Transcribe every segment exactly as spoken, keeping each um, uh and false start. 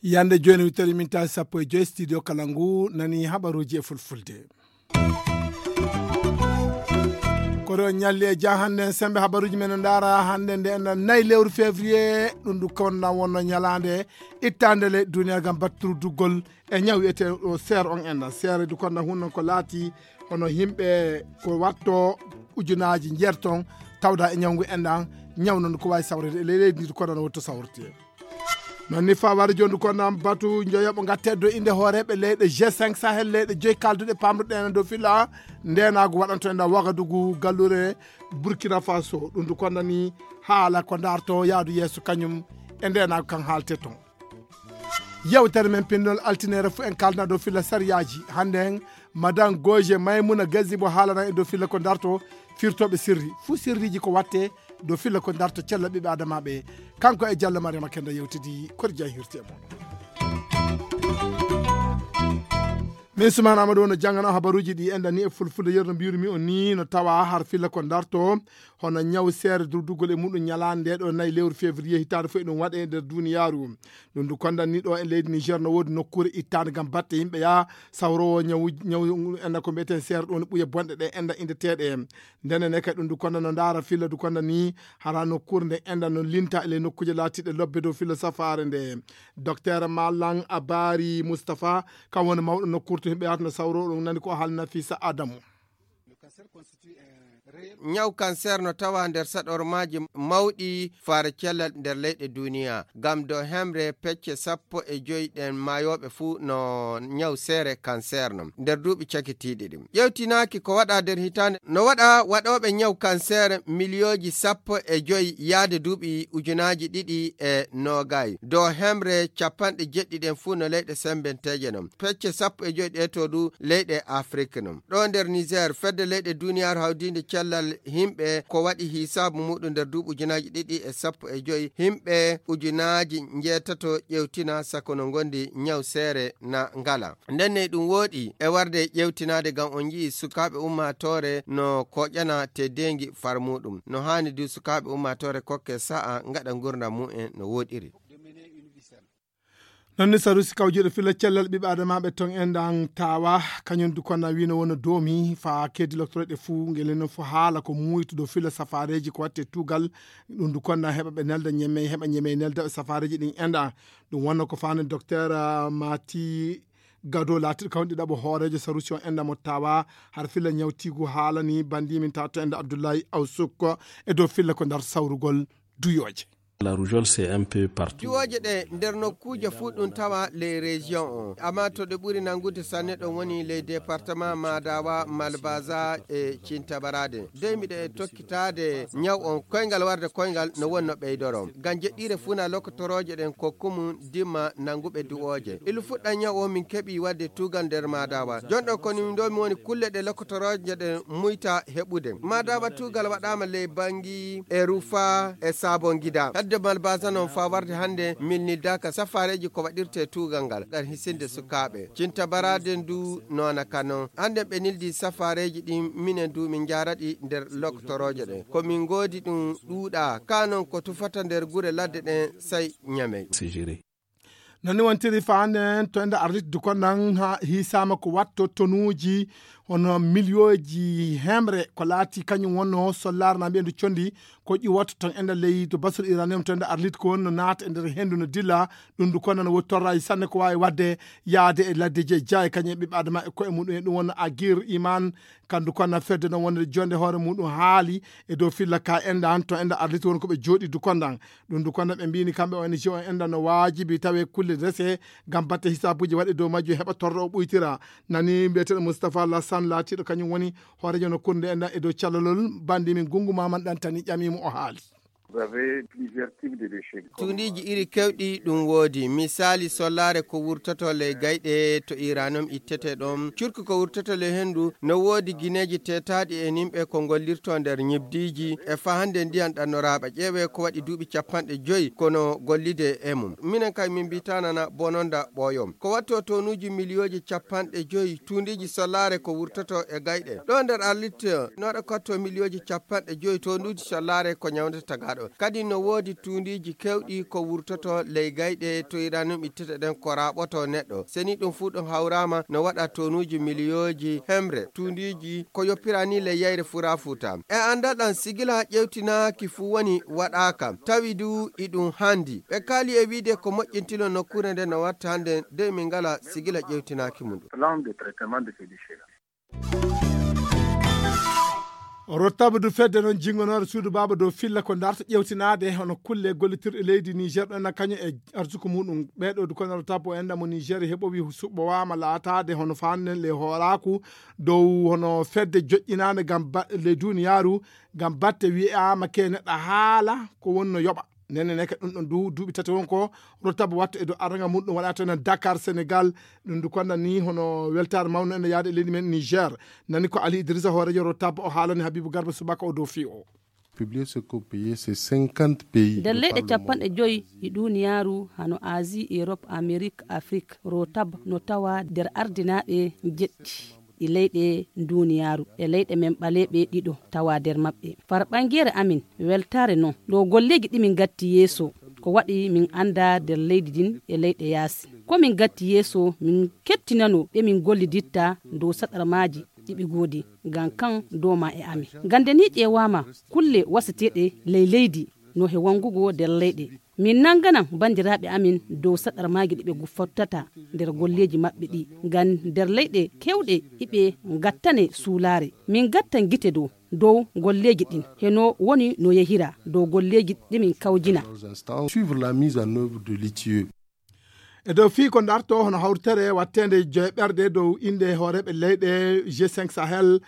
Yande jooni wittori min tawi sappo e joyi studio kala ngu nani habaruji e fulfulde. Koɗo ñalli e ja hannde en sembe habaruji men no ndaara hannde nde enɗan nayi lewru février ɗum du konna wonno ñalaande ittande le duniya gam batturuduggol e ñaw wiyete o seer on enɗan seere du konna hunnon ko laati hono yimɓe ko watto ujunaji njeer ton tawda e ñawngu enɗan ñaw non ko wawi sawrede e ley leydi ndi du konna no wotto sawrete. Non ni fawari jondu ko nan batu joyoɓo gatte do inde hooreɓe leyɗe g cinq sahel leyɗe joyi kalduɗe pamruɗen dow filla ndenagu waɗanto e nda wagadugu gallure burkina faso ɗum du konnani haala ko darto yaadu yeeso kañum e ndenagu kan haalte ton. Yewtere men pinndol altinere fu en kalna dow filla sariyaji hande en madame goje maymuna gazibo haalana e dow filla ko darto firtoɓe sirri fu sirriji ko watte dow filla ko darto cella ɓiɓe adamaɓe. Kanko e jallo mariama kenda yewtidi kori jahirte mon. Min sumana amadou ono jangana habaruji ɗi enɗan ni e fulfulde yerno mbiyru mi o ni no tawa har filla ko darto hono ñaw seere durdugol e muɗum ñalande nde ɗo nayi lewru février hitande fof eɗum waɗe e nder duniyaru. Ɗum du kondan ni ɗo e leydi niger no woodi nokkure ittande gam batte yimɓe ya sawrowo ñaw ñaw enɗan ko mbiyeten seere ɗo no ɓuya bonɗe ɗe enɗan indeteɗe. Ndenen e kadi ɗum du kondan no ndaara filla du kondan ni hara nokkure nde enɗan no linta e ley nokkuje laatiɗe lobbe dow filla safaare nde. Docteur malan abari moustapha kam woni mawɗo nokkure to yimɓe yata no sawro ɗum nani ko haalna fisa adamu. Ñaw kanseer no tawa nder saɗormaaji mawɗi faare cellal nder leyɗe duniya ngam dow hemre pecce sappo e joyi ɗen maayooɓe fuu no ñaw seere kanseer no nder duuɓi cakitiiɗi ɗin. Ƴeewtinaaki ko waɗa nder hitaande no waɗa waɗooɓe ñaw kanseer miliyooji sappo e joyi yaade duuɓi ujunaaji ɗiɗi e noogay dow hemre capanɗe jeɗɗi ɗen fuu no leyɗe sembenteeje non. Pecce sappo e joyi ɗe to du leyɗe afrik non ɗo nder niger fedde leyɗe duniyaaru hawdiinde cellal yimɓe ko waɗi hisaabu muɗum nder duuɓi ujunaaji ɗiɗi e sappo e joyi yimɓe ujunaaji njeetato ƴewtina sako no ngondi ñaw seere na ngala. Ndenne ɗum wooɗi e warde ƴewtinaade ngam on nji'i sukaaɓe ummaatoore no koƴana teddeengi far muɗum no haani du sukaaɓe ummaatoore kokke sa'a ngaɗa ngurdam mumen no wooɗiri. Non ni sarusi kawjuɗo filla cellal ɓiɓɓe adamaɓe ton en ɗan tawa kañum du konna wino wona doomi fa keddi loctoreɗe fuu ngel no fo haala ko muytuɗo filla safareji ko watte tugal. Ɗum du konna heɓa ɓe nelda ñeme heɓa ñeme nelda ɓe safareji ɗin enɗa. Ɗum wonno ko fani docteur mati gado laatiɗo kawɗi ɗaɓo hoorejo sarusi on enɗa mo tawa har filla ñawtigu haalani bandimin tato enɗa abdoullahi awsukko e dow filla ko ndar sawrugol duyoje. La rougeole c'est un peu partout. Diwooje ɗe nder nokkuuje fuu ɗum tawa ley région o amma to ɗe ɓuri nanngude sanne ɗon woni ley département madawa malbaza e cintabarade dey miɗe tokkitaade ñaw on koyngal warde koyngal no wonno ɓeydoro ngam jeɗɗiire funa lokotorooje ɗen kokkumum dimma nannguɓe duwooje ilu fuɗɗan ñaw o min keɓi wadde tuugal nder madawa jonɗo koni ɗo mi woni kulle ɗe lokotorooje ɗen muyta heɓude madawa tuugal waɗama ley bangi e rufa e sabon gida hadde malbasa non fa warde hannde milnildaka safareji ko waɗirte tuugal ngal ngam hisinde sukaaɓe cinta baraden du nona ka non hannde ɓe nildi safareji ɗin minen du min jaraɗi nder loktorooje ɗen ko min ngoodi ɗum ɗuuɗa ka non ko tufata nder gure ladde ɗen sai ñamey. Non ni wontiri fa hannde en to enda arlit du konnan ha hisama ko watto tonuji hono miliyoji hemre ko laati kañum wonno sollar na mbiyen du condi ko ƴiwoto ton enda ley to basol iranium to enda arlit ko wonno naata e nder hendu no dilla. Ɗum du konnan woni torraji sanne ko wawi wadde yaade e ladde je jaye kañum e ɓiɓɓe adama e koye muɗum e ɗum wonno agir iman kandu konna fedde no wonde jonde hoore muɗum haali e dow filla ka endan to enda arlit woni ko ɓe jooɗi du kondan. Ɗum du konda ɓe mbini kamɓe ong o enda no waajibi tawe kulle rese ngam batte hisabuji waɗe dow majjum heɓa torra o ɓuytira. Nani mbiyeteɗo moustapha lassan laatiɗo kañum woni hoorejo no kurnde enda e dow callalol bandi min gungu maman ɗantani ƴamimo o haali. Vous avez plusieurs types de déchets. Tuundiiji iri kewɗi ɗum woodi. Misaali, sollaare ko wurtoto ley gayɗe to uranium ittete ɗoon. Curki ko wurtoto ley henndu no woodi gineeji teetaaɗi e nimɓe ko ngollirtoo nder ñibdiiji e fahannde ndiyan ɗannoraaɓe. Ƴeewee ko waɗi duuɓi capanɗe joyi kono gollide e mum. Minen kay min mbitanana bononda ɓooyom. Ko wattoo toonuuji miliyooji capanɗe joyi tuundiiji sollaare ko wurtoto e gayɗe. Ɗo nder arlitte nooɗo kotto miliyooji capanɗe joyi toonuuji sollaare ko ñawndata tagaaɗo. Kadi no woodi tuundiiji kewɗi ko wurtoto ley gayɗe to uranium ittete ɗen ko raaɓoto neɗɗo. Seni ɗum fuu ɗum hawraama no waɗa toonuuji miliyooji hemre tuundiiji ko yoppira ni ley yayre furaa fuuta. E anndal ɗan sigila ƴewtinaaki fuu woni waɗaaka. Tawi du iɗum handi. Ɓe kaali e wiide ko moƴƴintino nokkuure nde no watta hannde de min ngala sigila ƴewtinaaki mum. Plan de traitement de ces déchets-là. Rottabu du fedde noon jingonore suudu baaba dow filla ko darta ƴewtinaade hono kulle gollitirɗe leydi Niger ɗon na kañum e arsuku muɗum. Ɓeeɗo du kono rottabu o enda mo Niger heɓowi suɓɓowaama laataade hono faannen le hooraaku dow hono fedde joƴƴinaande ngam ba-, le duniyaaru ngam batte wi'aama ke neɗɗo haala ko wonno yoɓa. Nene neke ɗum ɗon du duuɓi tati won ko rottabu wattu e dow aranga mum ɗum waɗa to enen Dakar, Sénégal. Ɗum du konda ni hono weltaare mawno ene yaade e leydi men Niger. Nani ko Ali Idrissa hoorejo rottabu o haalani Habibu Garba subaka o dow fii o. Publier ce qu'on payait, c'est cinquante pays. Nder leyɗe capanɗe joyi ɗi duniyaaru hano Asie, Europe, Amérique, Afrique, rotab no tawa nder ardinaaɓe jeɗɗi ɗi leyɗe duniyaaru e leyɗe men ɓaleeɓe ɗiɗo tawa nder maɓɓe. Far ɓangeere amin weltaare non ɗo golleeji ɗi min gatti yeeso ko waɗi min annda nder leydi din e leyɗe yaasi. Ko min gatti yeeso min kettinano ɓe min golliditta dow saɗarmaaji ɗi ɓe goodi ngam kan dooma e amin. Ngam nde ni ƴeewaama kulle wasateeɗe ley leydi no he wangugo nder leyɗe. Min nannganan banndiraaɓe amin dow saɗarmaaji ɗi ɓe fottata nder golleeji maɓɓe ɗi. Ngam nder leyɗe keewɗe iɓe ngattane suulaare. Min ngattan gite dow, dow golleeji ɗin. Heno woni no yehira dow golleeji ɗi min kawjina. Suivre la mise en œuvre de l'I T I E. E dow fii ko darto hono hawritere watteende joyɓerde dow innde hooreeɓe leyɗe G cinq Sahel,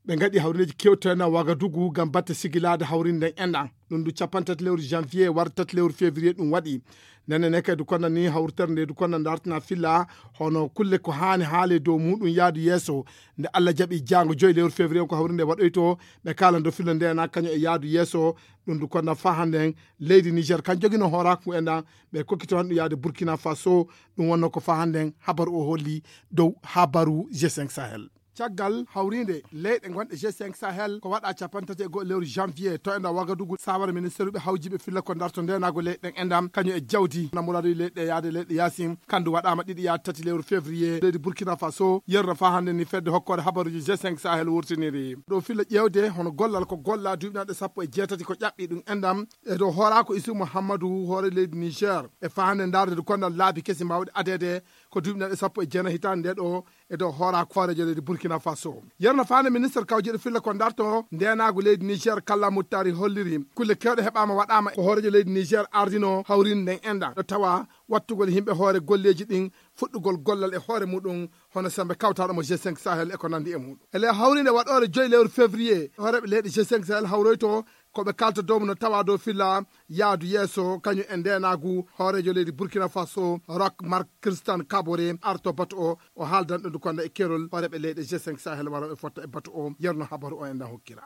ɓe ngaɗi hawrindeeji kewtena Wagadugu ngam batte sigilaade hawrinde nden enɗan. Ɗum du capanɗe tati lewru janvier warde tati lewru février ɗum waɗi. Nene ne kay du konna ni hawritere nde du konna dartina filla hono kulle ko haani haale dow muɗum yaadu yeeso. Nde Allah jaɓi jaango joyi lewru février ko hawrinde waɗoyto, ɓe kaalan dow filla nde na kañum e yaadu yeeso. Ɗum du konna faa hannden leydi Niger kan jogino hooraaku enɗan, ɓe kokkito han ɗum yaade Burkina Faso. Ɗum wonno ko faa hannden habaru o holli dow habaru G cinq Sahel. Caggal hawriinde leyɗe gonɗe G cinq Sahel ko waɗa capanɗe tati e go'o lewru janvier to enɗan Wagadugu, sawara ministeruɓe hawjiɓe filla ko darto ndenaago leyɗe ɗen enɗan kañum e jawdi na muradu leyɗe yaade leyɗe yaasin. Kandu waɗaama ɗiɗi yaade tati lewru février leydi Burkina Faso. Yerno faa hannde ni fedde hokkoore habaruji G cinq Sahel wurtiniri ɗo filla ƴeewde hono gollal ko golla duuɓi nanɗe sappo e jeetati ko ƴaɓɓi ɗum enɗan e dow hooraako Isu Muhammadu hoore leydi Niger. E faa hannde ndaarde du konnal laabi kesi mawɗi adeede ko duuɓi nanɗe sappo e jeenayi hitaande nde ɗo e dow hooraako hooreejo leydi Burkina Faso. Yerno faande ministre kawjeɗo filla ko darto ndenaagu leydi Niger Kalla Muttari holliri kulle kewɗe heɓaama waɗaama ko hooreejo leydi Niger ardino hawrinde nden enɗan ɗo tawa wattugol yimɓe hoore golleeji ɗin fuɗɗugol gollal e hoore muɗum hono sembe kawtaɗo mo G cinq Sahel e ko nandi e muɗum. E ley hawrinde waɗoore joyi lewru février hooreeɓe leyɗe G cinq Sahel hawroyto ko ɓe kalta dow no tawa dow filla yaadu yeeso kañum e ndenaagu hooreejo leydi Burkina Faso Roch Marc Christian Kaboré arto batu o, o haaldan ɗo du konna e kerol hooreeɓe leyɗe G cinq Sahel warooɓe fotta e batu o yerno habaru o enɗan hokkira.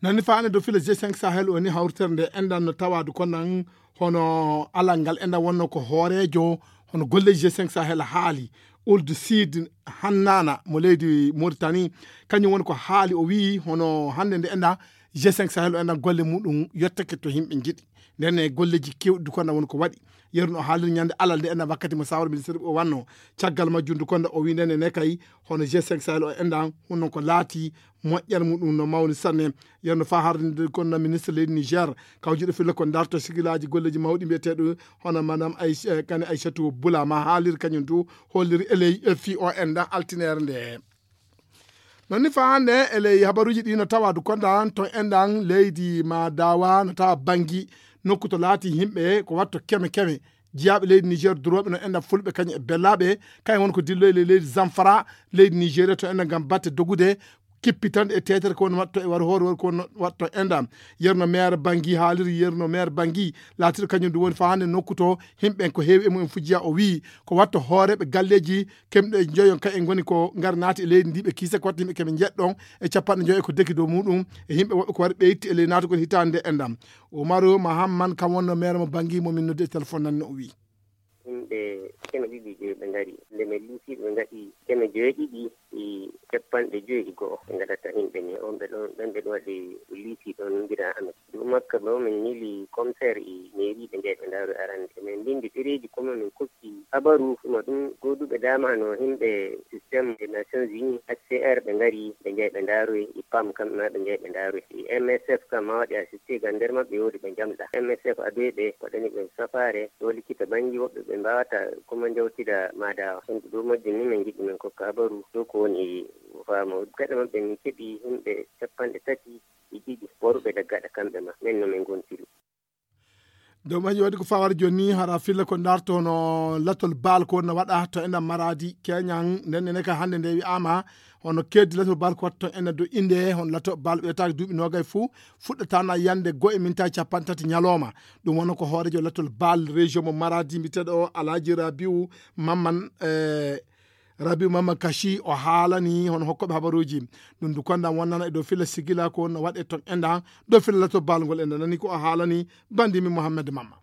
Nani faane dow filla G cinq Sahel o ni hawritere nde enɗan no tawa du konnan hono alal ngal enɗan wonno ko hooreejo hono golleeji G cinq Sahel haali Ould Sid Hannana mo leydi Mauritanie. Kañum woni ko haali o wi'i hono hannde nde enɗan G cinq Sahel o enɗan golle muɗum yottake to yimɓe njiɗi. Nden e golleeji kewɗi du konnan woni ko waɗi. Yeru no haaliri ñande alal nde enɗan wakkati mo sawara ministre o wanno. Caggal majjum du konnan o wi'i nden e ne kay hono G cinq Sahel o enɗan honno ko laati moƴƴere muɗum no mawni sanne. Yerno faa harde nde konna ministre leydi Niger kawjuɗo filla ko darto sigilaaji golleeji mawɗi mbiyeteeɗo hono madame Aïch-, eh, kane Aïchatou Boula ma haaliri kañum du holliri eley, eh, fii o enɗan altineere nde. Non ni faa hannde eley habaruuji ɗi no tawa du konda to enɗan leydi ma dawa no tawa Bangi nokku to laati yimɓe ko watto keme keme. Jiyaaɓe leydi Niger durooɓe no enɗan fulɓe kañum e bellaaɓe kañum woni ko dilloyi ley leydi Zamfara leydi Nigeria to enɗan ngam batte dogude kippitanɗe e teetere ko woni waɗto e war hoore woni ko woni waɗto enda. Yerno maire Bangi haaliri, yerno maire Bangi laatiri kañum ɗum woni faa hannde nokku to himɓe en ko heewi e mumen fujiya. O wii ko waɗto hooreeɓe galleeji kemɗe joyon ka en ngoni ko ngar naati e leydi ndi ɓe kiise ko waɗto yimɓe keɓe njeɗɗon e capanɗe joyo e ko deki dow muɗum e yimɓe woɓɓe ko wari ɓeytti e ley naatugol hitaande nde enda. Umaru Mahamman kam wonno maire mo Bangi mo min noddi e téléphone nan no o wii. Yimɓe keme ɗiɗi e joyi ɓe ngari. Nde min liisiiɓe ɓe ngaɗi keme joyi ɗiɗi e capanɗe joyi e go'o ɓe ngaɗata yimɓe ni. On ɓe ɗon, ɓen ɓe ɗon waɗi liisii ɗon mbira amen. Dow makka bo min miili commissaire e mairie ɓe njahi ɓe ndaaroyi arande. Min mbinndi ɗereeji ko min kokki habaru ma ɗum gooduɓe dama no yimɓe système des Nations Unies, H C R, ɓe ngari ɓe njahi ɓe ndaaroyi, e pam kamɓe ma ɓe njahi ɓe ndaaroyi. E M S F kam ma waɗi assisté ngam nder maɓɓe woodi ɓe njamɗa. M S F adoyi ɓe waɗani ɓe safaare ɗo likkita Bangi woɓɓe ɓe mbaawata ko ma njawtida Madawa. Ɗum ɗo majjum ni min ngiɗi min kokka habaru ɗo ko woni e faama. Gaɗa maɓɓe min keɓi yimɓe capanɗe tati e ɗiɗi worɓe daga gaɗa kamɓe ma. Min no min ngontiri. Dow majji waɗi ko fawar joni hara filla ko darto no latol baal ko wonno waɗa to ena maradi keñan nden ene ka hannde nde wi'ama hono keddi latol baal ko watta to ena do inde hono lato baal ɓeytaaki duuɓi nogay fuu fuɗɗatana yande go e minta capanɗe tati ñalawma. Ɗum wonno ko hoorejo latol baal région mo maradi mbiteɗo alhaji rabiu mamman e rabiu mamman kashi o haalani hono hokkoɓe habaruji. Ɗum du kondam wonnana e dow filla sigila ko wonno waɗe ton enda dow filla latol baal ngol enda nani ko o haalani bandimi mohammed mamma.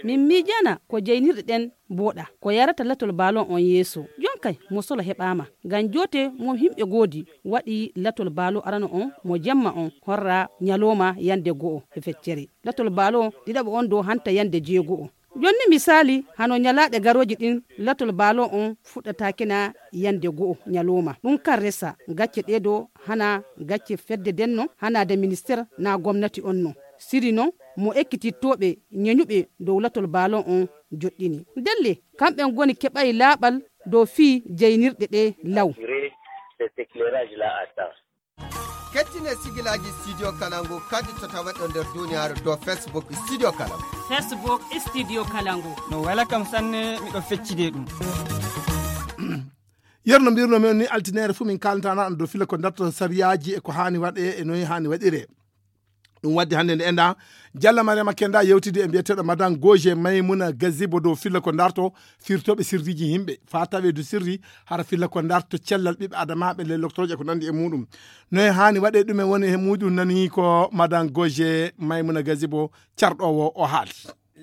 Min miijana ko jeynirɗe ɗen mboɗa ko yarata latol baalo on yeeso. Jonkay mo solo heɓaama ngam joote mo himɓe goodi waɗi latol baalo arano on mo jemma on horra ñalooma yande go'o e feccere latol baalo ɗiɗaɓo on dow hanta yande jeego'o. Jonni misaali hano ñalaaɗe garooji ɗin latol baalo on fuɗɗataakina yande go'o ñalooma ɗum kan resa gacce ɗee do hana gacce fedde denno hanaade minister na gomnati on no siri non mo ekkitittooɓe ñeñuɓe dow latol baalon on joɗɗini ndelle kamɓe ngoni keɓay laaɓal dow fii jeynirɗe ɗe law. Kettine sigilaaji studio kalangu kadi to tawaɗo nder duniyaaru dow facebook studio kalangu. Facebook studio kalangu. No wela kam sanne miɗo feccide ɗum. Yerno mbirno men ni altinere fuu min kalantana on dow fila ko darto sariyaaji e ko haani waɗe e noyi haani waɗire. Ɗum waddi hannde nde enda jalla mariama kenda yewtidi e mbiyeteɗo madan goje maymuna gazibo dow filla ko darto firtoɓe sirriji yimɓe fa tawe du sirri hara filla ko darto cellal ɓiɓɓe adamaɓe ley loktoroje ko nandi e muɗum. Noye hani waɗe ɗumen woni e muɗum nani ko madan goje maymuna gazibo carɗowo o haali.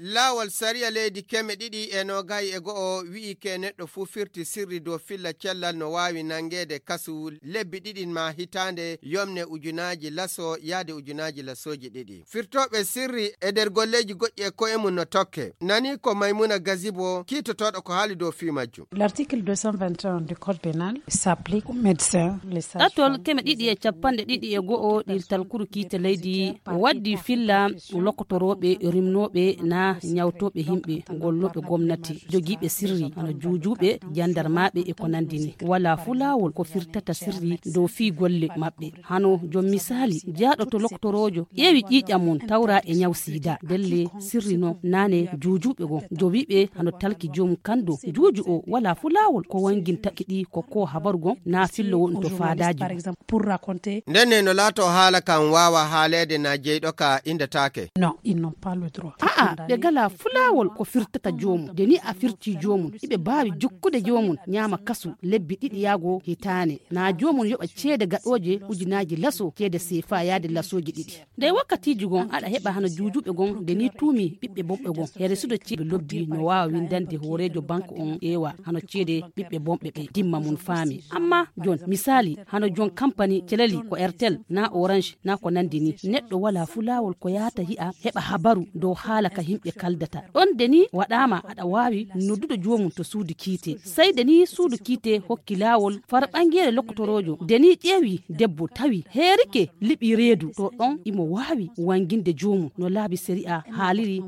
Laawol sariya leydi keme ɗiɗi e nogayi e go'o wi'i ke neɗɗo fuu firti sirri dow filla cellal no waawi nangeede kasu lebbi ɗiɗi ma hitaande yomne ujunaaji laso yaade ujunaaji lasooji ɗiɗi. Firtooɓe sirri e nder golleeji goɗɗi e ko'e mum no tokke. Nani ko Maymuna Gazibo kiitotooɗo ko haali dow fii majjum. L'article deux cent vingt et un du code pénal s'applique aux médecins, les sages-femmes. Ɗatol keme ɗiɗi e capanɗe ɗiɗi e go'o ɗirtal kuru kiite leydi waddi filla lokotorooɓe rimnooɓe na ñawtooɓe yimɓe gollooɓe gomnati jogiiɓe sirri hano juujuuɓe jandarmaaɓe e ko nanndi ni walaa fuu laawol ko firtata sirri dow fii golle maɓɓe. Hano jom misaali jaaɗo to lokotoroojo ƴeewi ƴiiƴam mum tawra e ñaw siida ndelle sirri no naane juujuuɓe goo jowiiɓe hano talki joomum kanndo juuju o walaa fuu laawol ko wanngintaki ɗi ko ko habaru goo na fillo woni to faadaaji goo. Ndenne no laato haala kan waawa haaleede na jeyɗo ka indataake. A'a ɓe gala fulaawol ko firtata joomum de ni a firti joomum iɓe baawi jukkude joomum ñaama kasu lebbi ɗiɗi yaago hitaane na joomum yoɓa ceede gaɗooje ujunaaji laso ceede seefa yaade lasooji ɗiɗi. Ndey wakkatiiji gon aɗa heɓa hano juujuuɓe gon nde ni tuumi ɓiɓɓe bonɓe gon here sudo ceeɓe lobbi no waawa windande hooreejo banque on ƴeewa hano ceede ɓiɓɓe bonɓe ɓe dimma mum faami. Amma jon misaali hano jon kampani celali ko airtel na orange na ko nandi ni neɗɗo wala fu laawol ko yaata yi'a heɓa habaru dow haala ka himɓe kaldata. Ɗon nde ni waɗaama aɗa waawi noddude joomum to suudu kiite. Sey nde ni suudu kiite hokki laawol fara ɓangeere lokkotoroojo nde ni ƴeewi debbo tawi heerike liɓi reedu to ɗon imo waawi wanginde joomum no laabi sariya haaliri.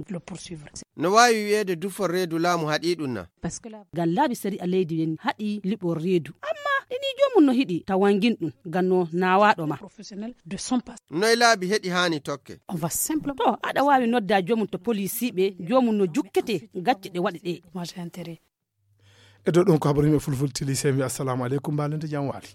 No waawi wiyeede dufol reedu laamu haɗi ɗum na? Ngam laabi sariya leydi nden haɗi liɓol reedu amma ɗini joomum no hiɗi ta wangin ɗum ngam no naawaaɗo ma. Noy laabi heɗi haani tokke? To aɗa waawi nodda joomum to polisiiɓe joomum no jukkete gacce ɗe waɗi ɗe. E dow ɗum ko habaru yimɓe fulfulde tili, sey mi wiya assalamu aleykum, mbaalde nde jam waali.